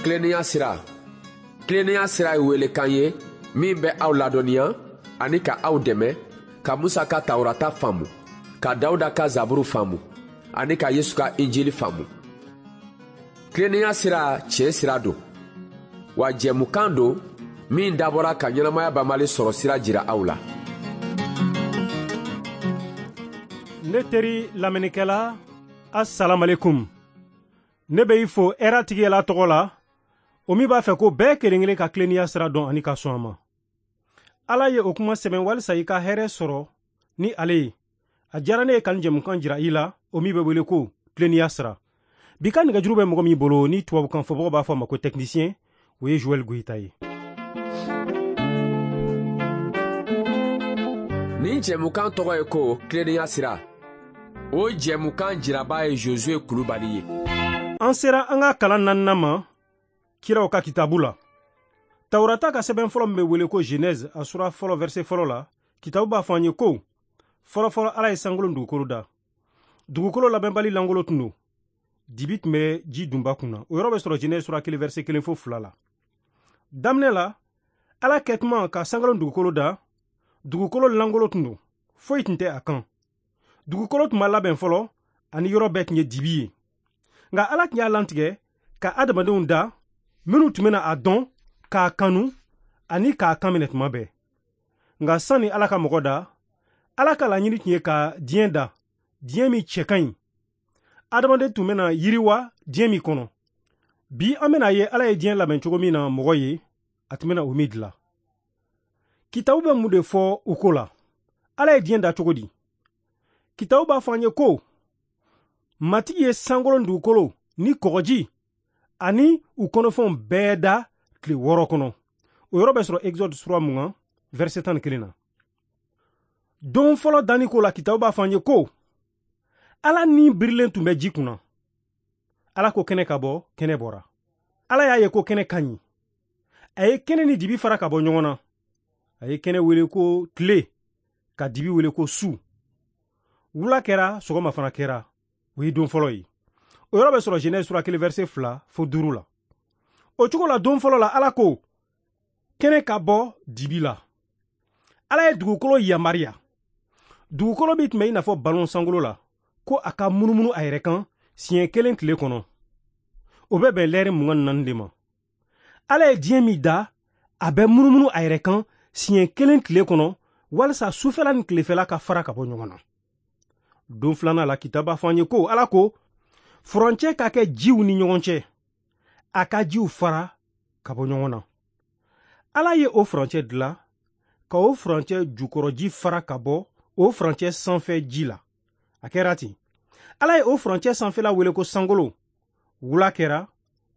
Tilennenya sira. Tilennenya sira ye welekan ye min bɛ aw ladɔnniya ani ka aw dɛmɛ ka Musa ka Tawurata faamu, ka Dawuda ka Zaburu faamu ani ka Yesu ka Injili faamu. Tilennenya sira tiɲɛ sira don, wa jɛmukan don min dabɔra ka ɲɛnamaya banbali sɔrɔ sira jira aw la. Ne teri lamɛnnikɛla, asalamualeykum. Ne bɛ i fo hɛrɛ tigi Ala tɔgɔ la, o min b'a fɛ ko bɛɛ kelen kelen ka tilennenya sira dɔn ani ka sɔn a ma. Ala ye o kuma sɛbɛn walisa i ka hɛrɛ sɔrɔ ni ale ye. A diyara ne ye ka nin jɛmukan jira i la, o min bɛ wele ko tilennenya sira. Bi ka nɛgɛjuru bɛ mɔgɔ min bolo ni tubabukan fɔbagaw b'a fɔ a ma ko technicien, o ye Joël Goyita ye. Nin jɛmukan tɔgɔ ye ko tilennenya sira. O jɛmukan jiraba ye Josué Kulubali ye. An sera an ka kalan naaninan ma kiraw ka kitabu la. Tawurata ka sɛbɛn fɔlɔ min bɛ wele ko Genèse, a sura fɔlɔ verset fɔlɔ la, kitabu b'a fɔ an ye ko fɔlɔfɔlɔ Ala ye sankolo ni dugukolo da. Dugukolo labɛnbali lankolon tun don. Dibi tun bɛ ji dunba kunna. O yɔrɔ bɛ sɔrɔ Genèse sura 1 verset 1 fo 2 la. Daminɛ la, Ala kɛtuma ka sankolo ni dugukolo da, dugukolo lankolon tun don. Foyi tun tɛ a kan. Dugukolo tun ma labɛn fɔlɔ, ani yɔrɔ bɛɛ tun ye dibi ye. Nka Ala tun y'a lantigɛ ka adamadenw da minnu tun bɛna a dɔn, k'a kanu ani k'a kan minɛ tuma bɛɛ. Nka sanni Ala ka mɔgɔ da, Ala ka laɲini tun ye ka diɲɛ da, diɲɛ min cɛ ka ɲi. Adamaden tun bɛna yiriwa diɲɛ min kɔnɔ. Bi an bɛna ye Ala ye diɲɛ labɛn cogo min na mɔgɔ ye, a tun bɛna o min dilan. Kitabu bɛ mun de fɔ o ko la? Ala ye diɲɛ da cogo di? Kitabu b'a fɔ an ye ko Matigi ye sankolo ni dugukolo ni kɔgɔji ani u kɔnɔfɛnw bɛɛ da tile 6 kɔnɔ. O yɔrɔ bɛ sɔrɔ Exode sura 20 verset 11 na. Don fɔlɔ danni ko la, kitabu b'a fɔ an ye ko Ala ni birilen tun bɛ ji kunna. Ala ko kɛnɛ ka bɔ, kɛnɛ bɔra. Ala y'a ye ko kɛnɛ ka ɲi. A ye kɛnɛ ni dibi fara ka bɔ ɲɔgɔn na. A ye kɛnɛ wele ko tile, ka dibi wele ko su. Wula kɛra, sɔgɔma fana kɛra. O ye don fɔlɔ ye. O yɔrɔ bɛ sɔrɔ Genèse sura 1 verset 2 fo 5 la. O cogo la don fɔlɔ la, Ala ko kɛnɛ ka bɔ dibi la. Ala ye dugukolo yamaruya. Dugukolo min tun bɛ i n'a fɔ ballon sankolo la, ko a ka munumunu a yɛrɛ kan siɲɛ 1 tile kɔnɔ. O bɛ bɛn lɛrɛ 24 de ma. Ala ye diɲɛ min da, a bɛ munumunu a yɛrɛ kan siɲɛ 1 tile kɔnɔ walisa sufɛla ni tilefɛla ka fara ka bɔ ɲɔgɔn na. Don filanan la, kitabu b'a fɔ an ye ko Ala ko furancɛ ka kɛ jiw ni ɲɔgɔn cɛ, a ka jiw fara ka bɔ ɲɔgɔn na. Ala ye o furancɛ dilan ka o furancɛ jukɔrɔji fara ka bɔ o furancɛ sanfɛ ji la. A kɛra ten. Ala ye o furancɛ sanfɛla wele ko sankolo. Wula kɛra,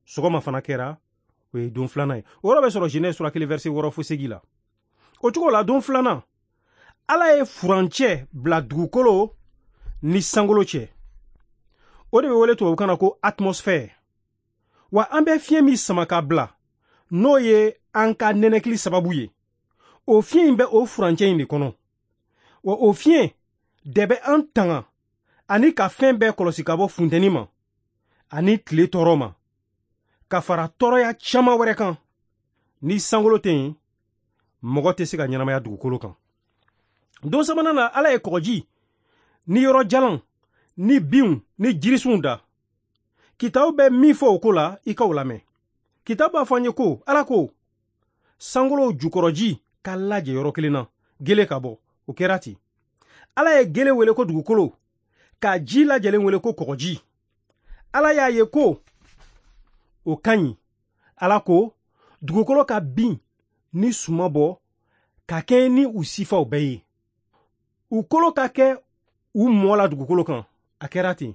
sɔgɔma fana kɛra, o ye don filanan ye. O yɔrɔ bɛ sɔrɔ Genèse sura 1 verset 6 fo 8 la. O cogo la don filanan, Ala ye furancɛ bila dugukolo ni sankolo cɛ. O de bɛ wele tubabukan na ko atmosphère. Wa an bɛ fiɲɛ min sama ka bila, n'o ye an ka nɛnɛkili sababu ye, o fiɲɛ in bɛ o furancɛ in de kɔnɔ. Wa o fiɲɛ de bɛ an tanga ani ka fɛn bɛɛ kɔlɔsi ka bɔ funteni ma ani tile tɔɔrɔ ma, ka fara tɔɔrɔya caman wɛrɛ kan. Ni sankolo tɛ yen, mɔgɔ tɛ se ka ɲɛnamaya dugukolo kan. Don sabanan na, Ala ye kɔgɔji ni yɔrɔ jalan ni binw ni jirisunw da. Kitabu bɛ min fɔ o ko la, i k'o lamɛn. Kitabu b'a fɔ an ye ko Ala ko sankolo jukɔrɔji ka lajɛ yɔrɔ kelen na, gele ka bɔ. O kɛra ten. Ala ye gele wele ko dugukolo, ka ji lajɛlen wele ko kɔgɔji. Ala y'a ye ko o ka ɲi. Ala ko dugukolo ka bin ni suma bɔ ka kɛɲɛ ni u sifaw bɛɛ ye. U kolo ka kɛ u mɔ la dugukolo kan. A kɛra ten.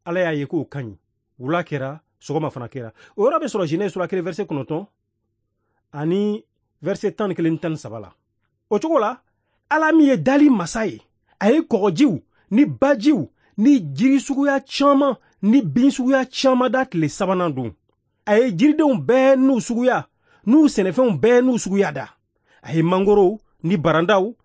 Ala y'a ye k'o ka ɲi. Wula kɛra, sɔgɔma fana kɛra. O yɔrɔ bɛ sɔrɔ Genèse sura 1 verset 9 ani verset 11 ni 13 la. O cogo la, Ala min ye dali masa ye, a ye kɔgɔjiw ni bajiw ni jiri suguya caman ni bin suguya caman da tile sabanan don. A ye jiridenw bɛɛ n'u suguya n'u sɛnɛfɛnw bɛɛ n'u suguya da. A ye mangorow ni barandaw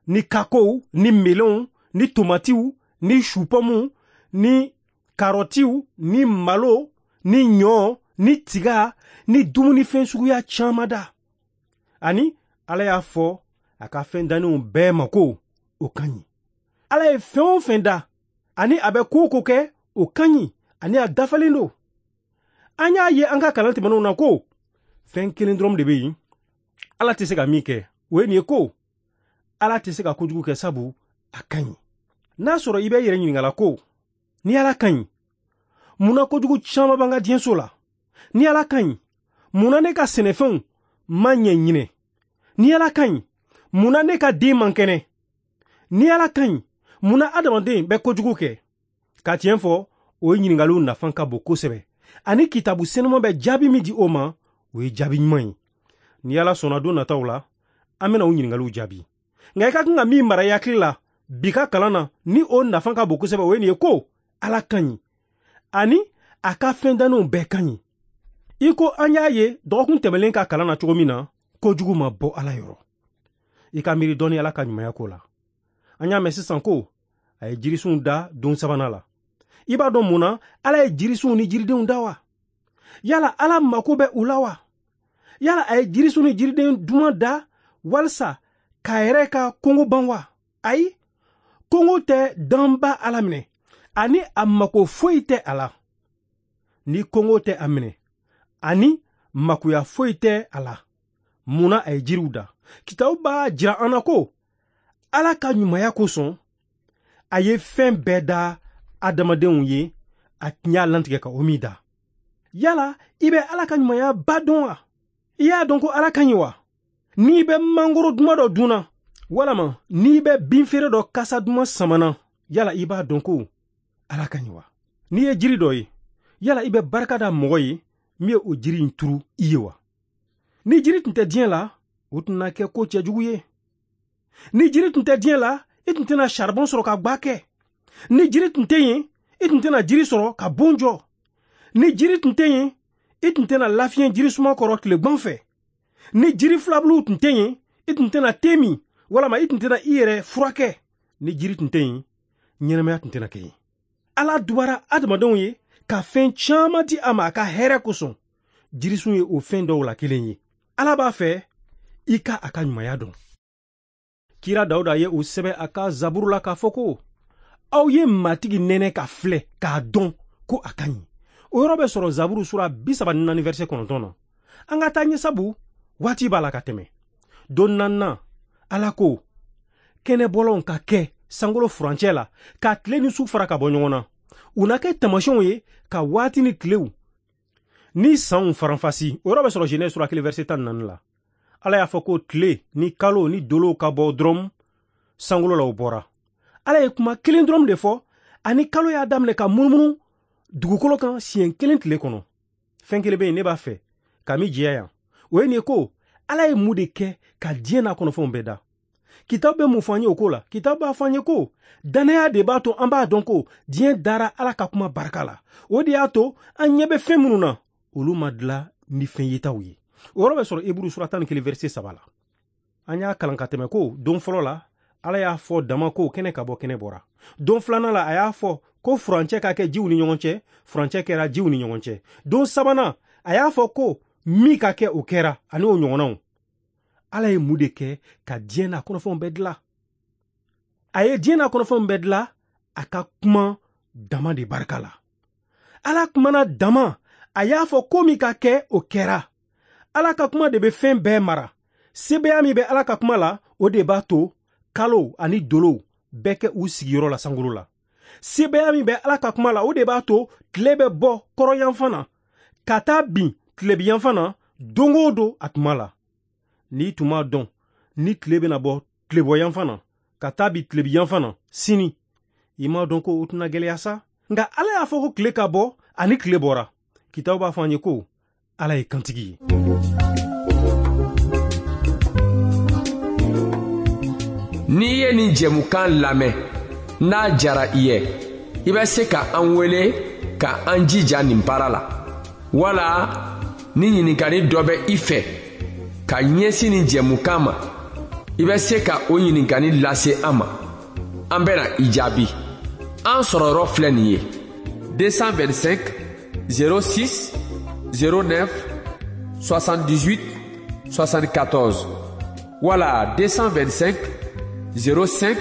ni kakow ni melonw ni tomatiw ni supɔmuw ni karɔtiw ni malo ni ɲɔ ni tiga ni dumunifɛn suguya caman da. Ani Ala y'a fɔ a ka fɛn dannenw bɛɛ ma ko o ka ɲi. Ala ye fɛn o fɛn da ani a bɛ ko o ko kɛ, o ka ɲi ani a dafalen don. An y'a ye an ka kalan tɛmɛnenw na ko fɛn kelen dɔrɔn de bɛ yen Ala tɛ se ka min kɛ, o ye nin ye ko Ala tɛ se ka kojugu kɛ, sabu a ka ɲi. N'a sɔrɔ i bɛ i yɛrɛ ɲininka la ko ni Ala ka ɲi, mun na kojugu caman b'an ka diɲɛso la? Ni Ala ka ɲi, mun na ne ka sɛnɛfɛnw ma ɲɛ ɲinɛ? Ni Ala ka ɲi, mun na ne ka den man kɛnɛ? Ni Ala ka ɲi, mun na adamaden bɛ kojugu kɛ? Ka tiɲɛ fɔ, o ye ɲininkaliw nafa ka bon kosɛbɛ. Ani kitabu senuman bɛ jaabi min di o ma, o ye jaabi ɲuman ye. Ni Ala sɔnna, don nataw la, an bɛna o ɲininkaliw jaabi. Nka i ka kan ka min mara i hakili la bi ka kalan na, ni o nafa ka bon kosɛbɛ, o ye nin ye ko Ala ka ɲi ani a ka fɛn dannenw bɛɛ ka ɲi. I ko an y'a ye dɔgɔkun tɛmɛlen ka kalan na cogo min na, kojugu ma bɔ Ala yɔrɔ. I ka miiri dɔɔni Ala ka ɲumanya ko la. An y'a mɛn sisan ko a ye jirisunw da don sabanan la. I b'a dɔn mun na Ala ye jirisunw ni jiridenw da wa? Yala Ala mako bɛ u la wa? Yala a ye jirisun ni jiriden duman da walisa k'a yɛrɛ ka kongo ban wa? Ayi, kongo tɛ danba Ala minɛ, ani a mako foyi tɛ a la. Ni kongo tɛ a minɛ, ani makoya foyi tɛ a la, mun na a ye jiriw da? Kitabu b'a jira an na ko Ala ka ɲumanya kosɔn, a ye fɛn bɛɛ da adamadenw ye, a tun y'a lantigɛ ka o min da. Yala i bɛ Ala ka ɲumanya ba dɔn wa? I y'a dɔn ko Ala ka ɲi wa? N'i bɛ mangoro duman dɔ dunna, walama n'i bɛ binfeere dɔ kasa duman samana, yala i b'a dɔn ko Ala ka ɲi wa? N'i ye jiri dɔ ye, yala i bɛ barika da mɔgɔ ye min ye o jiri in turu i ye wa? Ni jiri tun tɛ diɲɛ la, o tun na kɛ ko cɛjugu ye. Ni jiri tun tɛ diɲɛ la, i tun tɛna saribɔn sɔrɔ ka gwa kɛ. Ni jiri tun tɛ yen, i tun tɛna jiri sɔrɔ ka bon jɔ. Ni jiri tun tɛ yen, i tun tɛna lafiɲɛ jirisuma kɔrɔ tilegan fɛ. Ni jiri filabuluw tun tɛ yen, i tun tɛna te min, walama i tun tɛna i yɛrɛ furakɛ. Ni jiri tun tɛ yen, ɲɛnamaya tun tɛna kɛ yen. Ala dubara adamadenw ye ka fɛn caman di a ma a ka hɛrɛ kosɔn. Jirisun ye o fɛn dɔw la kelen ye. Ala b'a fɛ i ka a ka ɲumanya dɔn. Kira Dawuda ye o sɛbɛn a ka zaburu la k'a fɔ ko aw ye Matigi nɛnɛ ka filɛ k'a dɔn ko a ka ɲi. O yɔrɔ bɛ sɔrɔ zaburu sura 34 verset 9 na. An ka taa ɲɛ, sabu waati b'a la ka tɛmɛ. Don naaninan, Ala ko kɛnɛbɔlɔnw ka kɛ sankolo furancɛ la, ka tile ni su fara ka bɔ ɲɔgɔn na. U na kɛ taamasiyɛnw ye ka waati ni tilew ni sanw faranfasi. O yɔrɔ bɛ sɔrɔ Genèse sura 1 verset 14 la. Ala y'a fɔ ko tile ni kalo ni dolow ka bɔ dɔrɔn sankolo la, o bɔra. Ala ye kuma kelen dɔrɔn de fɔ, ani kalo y'a daminɛ ka munumunu dugukolo kan siɲɛ kelen tile kɔnɔ. Fɛn kelen bɛ yen ne b'a fɛ ka min jɛya yan, o ye nin ye ko Ala ye mun de kɛ ka diɲɛ n'a kɔnɔfɛnw bɛɛ da. Kitabu bɛ mun fɔ an ye o ko la? Kitabu b'a fɔ an ye ko dannaya de b'a to an b'a dɔn ko diɲɛ dara Ala ka kuma barika la. O de y'a to an ɲɛ bɛ fɛn minnu na, olu ma dilan ni fɛn yetaw ye. O yɔrɔ bɛ sɔrɔ Eburu sura 11 verset 3 la. An y'a kalan ka tɛmɛ ko don fɔlɔ la, Ala y'a fɔ dama ko kɛnɛ ka bɔ, kɛnɛ bɔra. Don filanan la, a y'a fɔ ko furancɛ ka kɛ jiw ni ɲɔgɔn cɛ, furancɛ kɛra jiw ni ɲɔgɔn cɛ. Don sabanan, a y'a fɔ ko min ka kɛ, o kɛra, ani o ɲɔgɔnnaw. Ala ye mun de kɛ ka diɲɛ n'a kɔnɔfɛnw bɛɛ dilan? A ye diɲɛ n'a kɔnɔfɛnw bɛɛ dilan a ka kuma dama de barika la. Ala kumana dama, a y'a fɔ ko min ka kɛ, o kɛra. Ala ka kuma de bɛ fɛn bɛɛ mara. Sebeya min bɛ Ala ka kuma la, o de b'a to kalo ani dolow bɛɛ kɛ u sigiyɔrɔ la sankolo la. Sebeya min bɛ Ala ka kuma la, o de b'a to tile bɛ bɔ kɔrɔyanfan na ka taa bin tilebiyanfan na don o don a tuma la. N'i tun m'a dɔn ni tile bɛna bɔ tilebɔyanfan na ka taa bin tilebiyanfan na sini, i m'a dɔn ko o tɛna gɛlɛya sa. Nka Ala y'a fɔ ko tile ka bɔ, ani tile bɔra. Kitabu b'a fɔ an ye ko Ala ye kantigi ye. N'i ye nin jɛmukan lamɛn, n'a jara i ye, i bɛ se ka an wele ka an jija nin baara la, wala ni ɲininkali dɔ bɛ i fɛ ka ɲɛsin nin jɛmukan ma, i bɛ se ka o ɲininkali lase an ma. An bɛna i jaabi. An sɔrɔyɔrɔ filɛ nin ye: 225 06 09 78 74 wala 225 05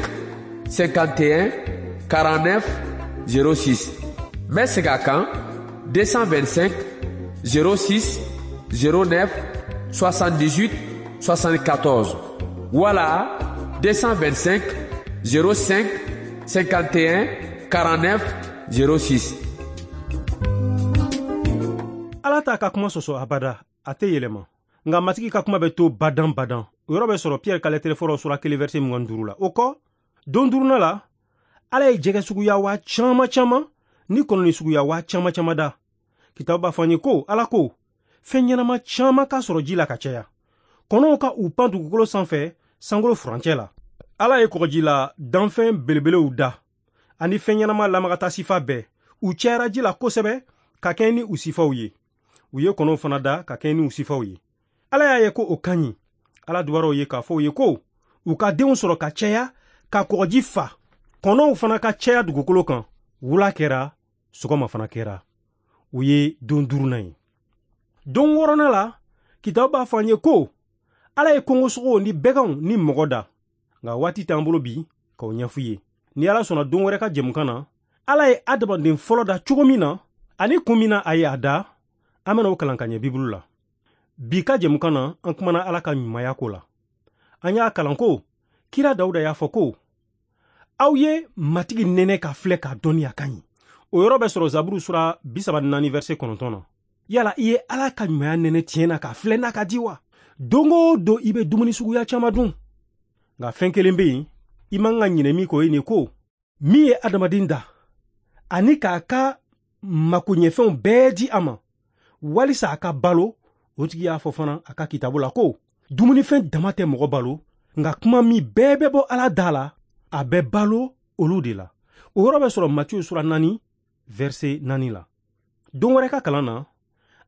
51 49 06. N bɛ segin a kan 225 06 09 78 74 wala 225 05 51 49 06. Ala t'a ka kuma sɔsɔ abada, a tɛ yɛlɛma. Nka Matigi ka kuma bɛ to badan badan. O yɔrɔ bɛ sɔrɔ Piyɛri ka lɛtɛrɛ fɔlɔ sura 1 verset 25 la. O kɔ, don duurunan la, Ala ye jɛgɛ suguya waa caman caman ni kɔnɔni suguya waa caman caman da. Kitabu b'a fɔ an ye ko Ala ko fɛn ɲɛnama caman ka sɔrɔ ji la ka caya. Kɔnɔw ka u pan dugukolo sanfɛ sankolo furancɛ la. Ala ye kɔgɔji la danfɛn belebelew da ani fɛn ɲɛnama lamagata sifa bɛɛ. U cayara ji la kosɛbɛ ka kɛɲɛ ni u sifaw ye. U ye kɔnɔw fana da ka kɛɲɛ ni u sifaw ye. Ala y'a ye ko o ka ɲi. Ala duwara u ye k'a fɔ u ye ko u ka denw sɔrɔ ka caya, ka kɔgɔji fa. Kɔnɔw fana ka caya dugukolo kan. Wula kɛra, sɔgɔma fana kɛra. O ye don duurunan ye. Don wɔɔrɔnan la, kitabu b'a fɔ an ye ko Ala ye kongosogow ni bɛganw ni mɔgɔ da. Nka waati t'an bolo bi k'o ɲɛfɔ i ye. Ni Ala sɔnna don wɛrɛ ka jɛmukan na, Ala ye adamaden fɔlɔ da cogo min na ani kun min na a ye a da, an bɛna o kalan ka ɲɛ Bibulu la. Bi ka jɛmukan na, an kumana Ala ka ɲumanya ko la. An y'a kalan ko kira Dawuda y'a fɔ ko aw ye Matigi nɛnɛ ka filɛ k'a dɔnniya ka ɲi. O yɔrɔ bɛ sɔrɔ Zaburu sura 34 verset 9 na. Yala i ye Ala ka ɲumanya nɛnɛ tiɲɛ na k'a filɛ n'a ka di wa? Don o don i bɛ dumuni suguya caman dun. Nka fɛn kelen bɛ yen, i man ka ɲinɛ min kɔ, o ye nin ko min ye adamaden da ani k'a ka makoɲɛfɛnw bɛɛ di a ma walisa a ka balo. O tigi y'a fɔ fana a ka kitabu la ko dumunifɛn dama tɛ mɔgɔ balo, nka kuma min bɛɛ bɛ bɔ Ala da la, a bɛ balo olu de la. O yɔrɔ bɛ sɔrɔ Matiyu sura 4 verset 4 la. Don wɛrɛ ka kalan na,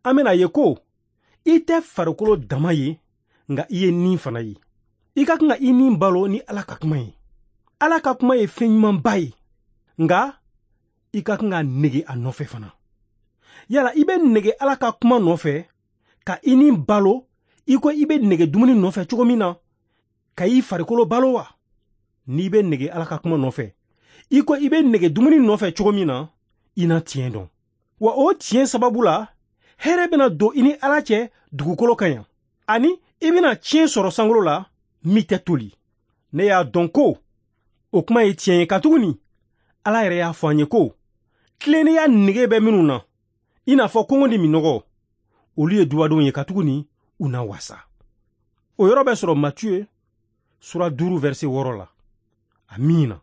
an bɛna ye ko i tɛ farikolo dama ye, nka i ye nin fana ye. I ka kan ka i nin balo ni Ala ka kuma ye. Ala ka kuma ye fɛn ɲumanba ye, nka i ka kan ka nege a nɔfɛ fana. Yala i bɛ nege Ala ka kuma nɔfɛ ka i nin balo i ko i bɛ nege dumuni nɔfɛ cogo min na ka i farikolo balo wa? N'i bɛ nege Ala ka kuma nɔfɛ i ko i bɛ nege dumuni nɔfɛ cogo min na, i na tiɲɛ dɔn. Wa o tiɲɛ sababu la, hɛrɛ bɛna don i ni Ala cɛ dugukolo kan yan, ani i bɛna tiɲɛ sɔrɔ sankolo la min tɛ toli. Ne y'a dɔn ko o kuma ye tiɲɛ ye, katuguni Ala yɛrɛ y'a fɔ an ye ko tilennenya nege bɛ minnu na, i n'a fɔ kɔngɔ ni minnɔgɔ, olu ye dubadenw ye, katuguni u na wasa. O yɔrɔ bɛ sɔrɔ Matiyu sura 5 verset 6 la. Amiina.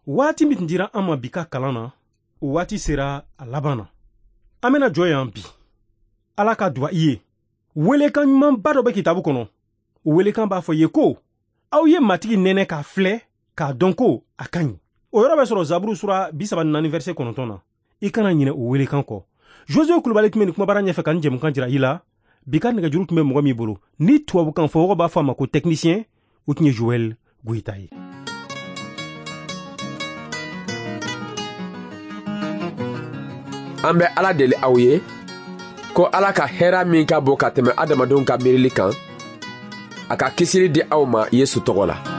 Waati min tun dira an ma bi ka kalan na, o waati sera a laban na. An bɛna jɔ yan bi. Ala ka duwa i ye. Welekan ɲumanba dɔ bɛ kitabu kɔnɔ. O welekan b'a fɔ i ye ko aw ye Matigi nɛnɛ k'a filɛ k'a dɔn ko a ka ɲi. O yɔrɔ bɛ sɔrɔ Zaburu sura 34 verset 9 na. I kana ɲinɛ o welekan kɔ. Josue Kulubali tun bɛ nin kumabara ɲɛfɛ ka nin jɛmukan jira i la. Bi ka nɛgɛjuru tun bɛ mɔgɔ min bolo, ni tubabukan fɔmɔgɔ b'a fɔ a ma ko technicien, o tun ye Joël Goyita ye. An bɛ Ala deli aw ye ko Ala ka hɛrɛ min ka bon ka tɛmɛ adamadenw ka miirili kan, a ka kisili di aw ma Yesu tɔgɔ la.